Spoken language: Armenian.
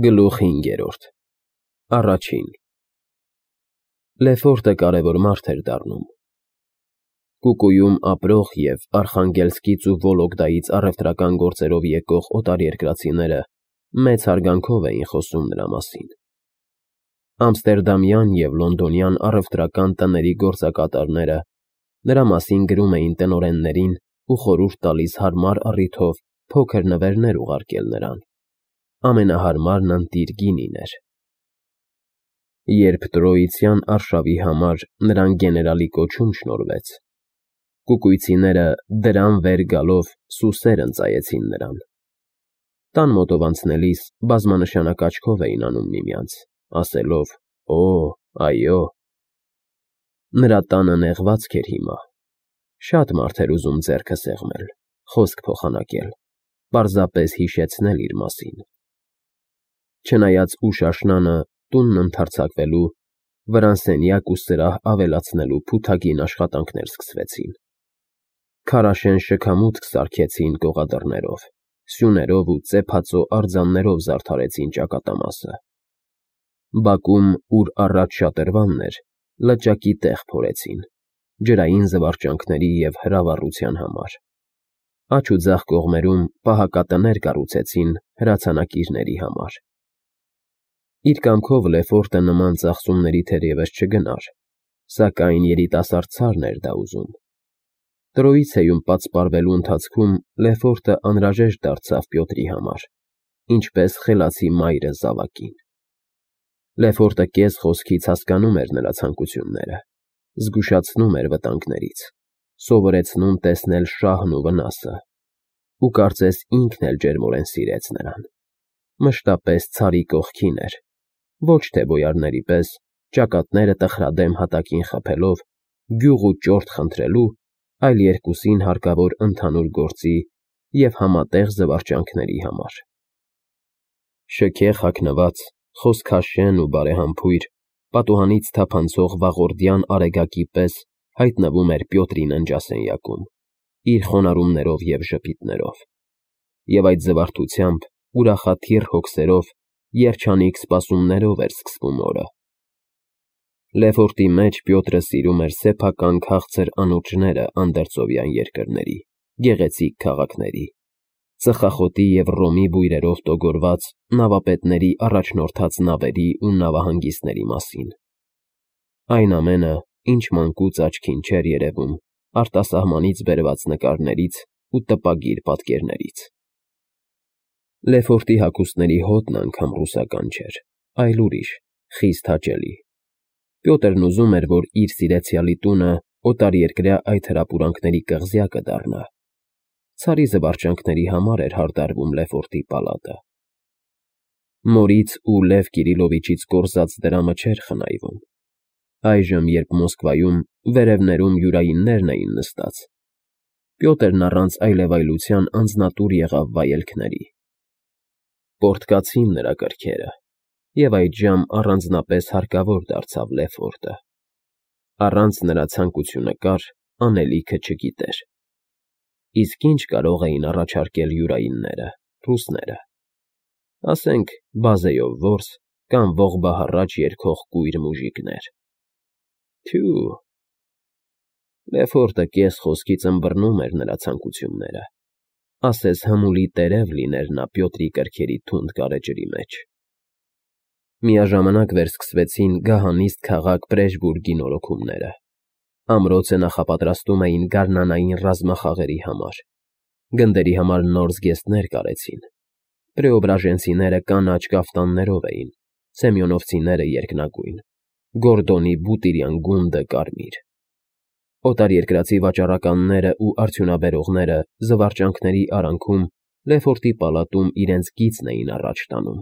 Գլուխ 5 Առաջին Լեֆորտը կարևոր մարդ էր դառնում։ Կուկուում ապրող և Արխանգելսկից ու Վոլոգդայից առևտրական գործերով եկող օտարերկրացիները մեծ հարգանքով էին խոսում նրա մասին։ Ամստերդամյան և լոնդոնյան առևտրական տների գործակատարները նրա մասին գրում էին տնօրեններին ու խորհուրդ տալիս հարմար առիթով փոքր նվերներ ուղարկել նրան։ Ամենահարմարն ընտիր գինին էր։ Երբ տրոյցյան արշավի համար նրան գեներալի կոչում շնորհվեց, կուկույցիները դրան վեր գալով սուսեր ընծայեցին նրան։ Տան մոտով անցնելիս բազմանշանակ աչքով էին անում միմյանց, ասելով. «Օ, այո»։ Նրա տանը նեղվածք էր հիմա։ Շատ մարդ էր ուզում ձեռքը սեղմել, խոսք փոխանակել, պարզապես հիշեցնել իր մասին։ Չնայած ուշ աշնանը տունն ընդարձակվելու, վրան սենյակ ու սրահ ավելացնելու փութագին աշխատանքներ սկսվեցին։ Քարաշեն շքամուտք սարքեցին կողադռներով, սյուներով ու ծեփածո արձաններով զարդարեցին ճակատամասը։ Բակում, ուր առաջ շատրվանն էր, լճակի տեղ փորեցին, ջրային զվարճանքների և հրավառության համար։ Աջ ու ձախ կողմերում պահակատներ կառուցեցին հրացանակիրների համար։ Իր կամքով Լեֆորտը նման ծախսումների թերևս չգնար, սակայն երիտասարդ ցարն էր դա ուզում։ Տրոյցեում պատսպարվելու ընթացքում Լեֆորտը անհրաժեշտ դարձավ Պյոտրի համար, ինչպես խելացի մայրը զավակին։ Լեֆորտը կես խոսքից հասկանում էր նրա ցանկությունները, զգուշացնում էր վտանգներից, սովորեցնում տեսնել շահն ու վնասը, ու կարծես ինքն էլ ջերմորեն սիրեց նրան։ Մշտապես ցարի կողքին էր, ոչ թե բոյարների պես, ճակատները տխրադեմ հատակին խփելով, գյուղ ու ճորտ խնդրելու, այլ երկուսին հարկավոր ընդհանուր գործի և համատեղ զվարճանքների համար։ Շքեղ հագնված, խոսքաշեն ու բարեհամբույր, պատուհանից թափանցող վաղորդյան արեգակի պես հայտնվում էր Պյոտրի ննջասենյակում, իր խոնարհումներով և ժպիտներով, և այդ զվարթությամբ, ուրախաթիռ հոգսերով, երջանիկ սպասումներով էր սկսվում օրը։ Լեֆորտի մեջ Պյոտրը սիրում էր սեփական քաղցր անոճները անդերծովյան երկրների, գեղեցիկ քաղաքների, ծխախոտի և ռոմի բույրերով տոգորված նավապետների առաջնորդած նավերի ու նավահանգիստների մասին։ Այն ամենը, ինչ մանկուց աչքին չէր երևում արտասահմանից բերված նկարներից ու տպագիր պատկերներից։ Լեֆորտի հագուստների հոտն անգամ ռուսական չէր, այլ ուրիշ, խիստ հաճելի։ Պյոտրն ուզում էր, որ իր սիրեցյալի տունը օտարերկրյա այդ հրապուրանքների կղզյակը դառնա։ Ցարի զվարճանքների համար էր հարդարվում Լեֆորտի պալատը։ Մորից ու Լև Կիրիլովիչից կորզած դրամը չէր խնայվում։ Այժմ, երբ Մոսկվայում վերևներում յուրայիններն էին նստած, Պյոտրն առանց այլևայլության անձնատուր եղավ վայելքների։ Պորտկացին նրա կրքերը, և այդժամ առանձնապես հարկավոր դարձավ Լեֆորտը։ Առանց նրա ցանկությունը կար, անելիքը չգիտեր։ Իսկ ինչ կարող էին առաջարկել յուրայինները, ռուսները։ Ասենք, բազեյով որս կամ ողբահառաչ երգող կույր մուժիկներ։ Թյու։ Լեֆորտը կես խոսքից ըմբռնում էր նրա ցանկությունները, ասես հմուլի տերև լիներ նա Պյոտրի կրքերի թունդ գարեջրի մեջ։ Միաժամանակ վերսկսվեցին գահանիստ քաղաք Պրեժբուրգի նորոգումները։ Ամրոցը նախապատրաստում էին գարնանային ռազմախաղերի համար։ Գնդերի համար նոր զգեստներ կարեցին։ Պրեոբրաժենցիները կանաչ կաֆտաններով էին, սեմյոնովցիները երկնագույն, Գորդոնի բուտիրյան գունդը կարմիր։ Օտարերկրացի վաճառականները ու արդյունաբերողները զվարճանքների արանքում Լեֆորտի պալատում իրենց գիծն էին առաջ տանում։